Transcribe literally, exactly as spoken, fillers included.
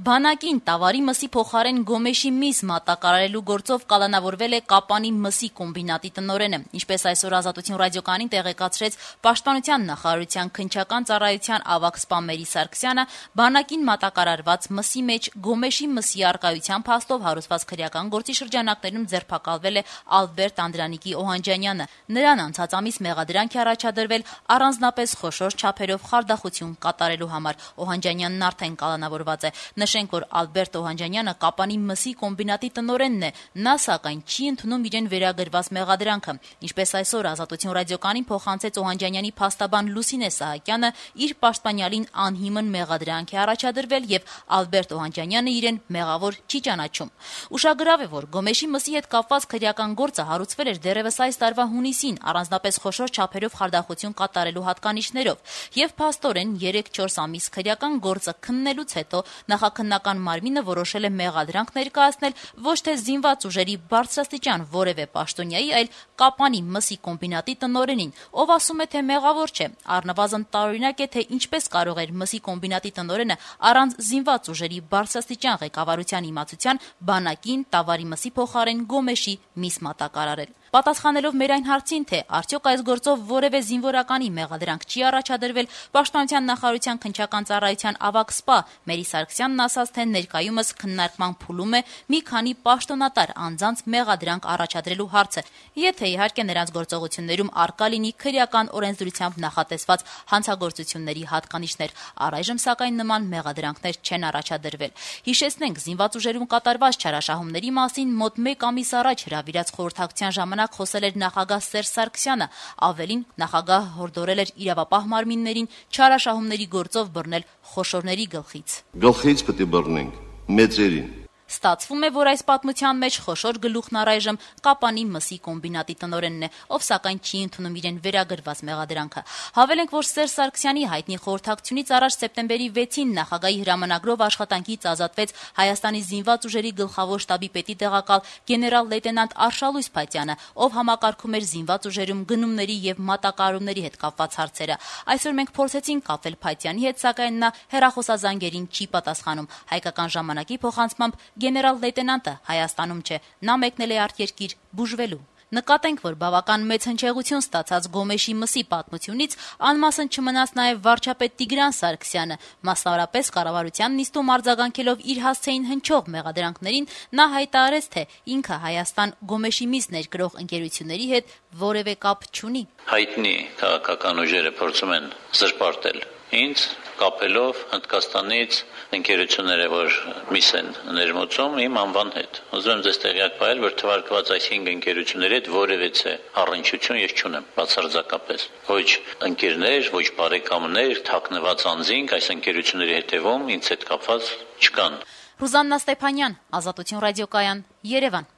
Բանակին Տավարի մսի փոխարեն Գոմեշի միս մատակարարելու գործով կալանավորվել է Կապանի մսի կոմբինատի տնօրենը, ինչպես այսօր Ազատություն ռադիոկայանին տեղեկացրեց Պաշտպանության նախարարության քննչական ծառայության ավագ սպա Մերի Սարգսյանը, բանակին մատակարարված մսի մեջ Գոմեշի մսի առկայության փաստով հարուցված քրեական գործի շրջանակներում ձերբակալվել է Ալբերտ Անդրանիկի Օհանջանյանը։ Նրան անցած ամիս մեղադրանք է առաջադրվել առանձնապես խոշոր չափերով խարդախություն կատարելու համար։ Օհանջանյանն արդեն կալանավորված է։ Նշենք, որ Ալբերտ Օհանջանյանը Կապանի մսի կոմբինատի տնօրենն է, նա սակայն չի ընդունում իրեն վերագրված մեղադրանքը։ Ինչպես այսօր Ազատություն ռադիոկայանին փոխանցեց Օհանջանյանի փաստաբան Լուսինե Սահակյանը, իր պաշտպանյալին անհիմն մեղադրանք է առաջադրվել եւ Ալբերտ Օհանջանյանը իրեն մեղավոր չի ճանաչում։ Ուշագրավ է, որ Գոմեշի մսի հետ կապված քրեական գործը հարուցվել էր դեռևս այս տարվա հունիսին, առանձնապես խոշոր չափերով խարդախություն կատարելու հատկանիշներով, եւ փաստորեն երեք-չորս ամիս քրեական գործը քննելուց հետո նախաքննական մարմինը որոշել է մեղադրանք ներկայացնել ոչ թե զինված ուժերի բարձրաստիճան որևէ պաշտոնյայի, այլ Կապանի մսի կոմբինատի տնօրենին, ով ասում է, թե մեղավոր չէ, առնվազն տարօրինակ է, թե ինչպես կարող էր մսի կոմբինատի տնօրենը առանց զինված ուժերի բարձրաստիճան ղեկավարության իմացության բանակին Տավարի մսի փոխարեն Գոմեշի միս մատակարարել։ Պատասխանելով մեր այն հարցին, թե արդյոք այս գործով որևէ զինվորականի մեղադրանք չի առաջադրվել, Պաշտպանության նախարարության քննչական ծառայության ավագ սպա Մերի Սարգսյանն ասաց, թե ներկայումս քննարկման փուլում է մի քանի պաշտոնատար անձանց մեղադրանք առաջադրելու հարցը, եթե իհարկե նրանց գործողություններում առկա լինի քրեական օրենսդրությամբ նախատեսված հանցագործությունների հատկանիշներ։ Առայժմ սակայն նման մեղադրանքներ չեն առաջադրվել։ Հիշեցնենք, զինված ուժերում կատարված չարաշահումների մասին մոտ մեկ ամիս առաջ հրավիրած խորհրդակցության ժամանակ խոսել էր նախագահ Սերժ Սարգսյանը, ավելին նախագահը հորդորել էր իրավապահ մարմիններին չարաշահումների գործով բռնել խոշորների գլխից։ Գլխից պետք է բռնենք մեծերին։ Ստացվում է, որ այս պատմության մեջ խոշոր գլուխն առայժմ Կապանի մսի կոմբինատի տնօրենն է, ով սակայն չի ընդունում իրեն վերագրված մեղադրանքը։ Հավելենք, որ Սերժ Սարգսյանի հայտնի խորհրդակցությունից առաջ սեպտեմբերի վեցին նախագահի հրամանագրով աշխատանքից ազատվեց Հայաստանի զինված ուժերի գլխավոր շտաբի պետի տեղակալ գեներալ-լեյտենանտ Արշալույս Փաթյանը, ով համակարգում էր զինված ուժերում գնումների եւ մատակարարումների հետ կապված հարցերը։ Այսօր մենք փորձեցինք կապվել Փաթյանի հետ, սակայն նա հեռախոսազանգերին չի պատասխանում։ Հայկական ժամանակի փոխանցմամբ գեներալ-լեյտենանտը Հայաստանում չէ, նա մեկնել է արտերկիր բուժվելու։ Նկատենք, որ բավական մեծ հնչեղություն ստացած Գոմեշի մսի պատմությունից անմասն չմնաց նաև վարչապետ Տիգրան Սարգսյանը, մասնավորապես կառավարության նիստում արձագանքելով իր հասցեին հնչող մեղադրանքներին, նա հայտարարեց, թե ինքը Հայաստան Գոմեշի միս ներկրող ընկերությունների հետ որևէ կապ չունի։ Հայտնի քաղաքական ուժերը փորձում են զրպարտել ինձ, կապելով Հնդկաստանից ընկերությունները, որ միս են ներմուծում իմ անվան հետ։ Ուզում եմ ձեզ տեղյակ պահել, որ թվարկված այս հինգ ընկերությունների հետ որևէ առնչություն ես չունեմ, բացարձակապես։ Ոչ ընկերներ, ոչ բարեկամներ, թաքնված անձինք այս ընկերությունների հետևում ինձ հետ կապված չկան։ Ռուզաննա Ստեփանյան, Ազատություն ռադիոկայան, Երևան։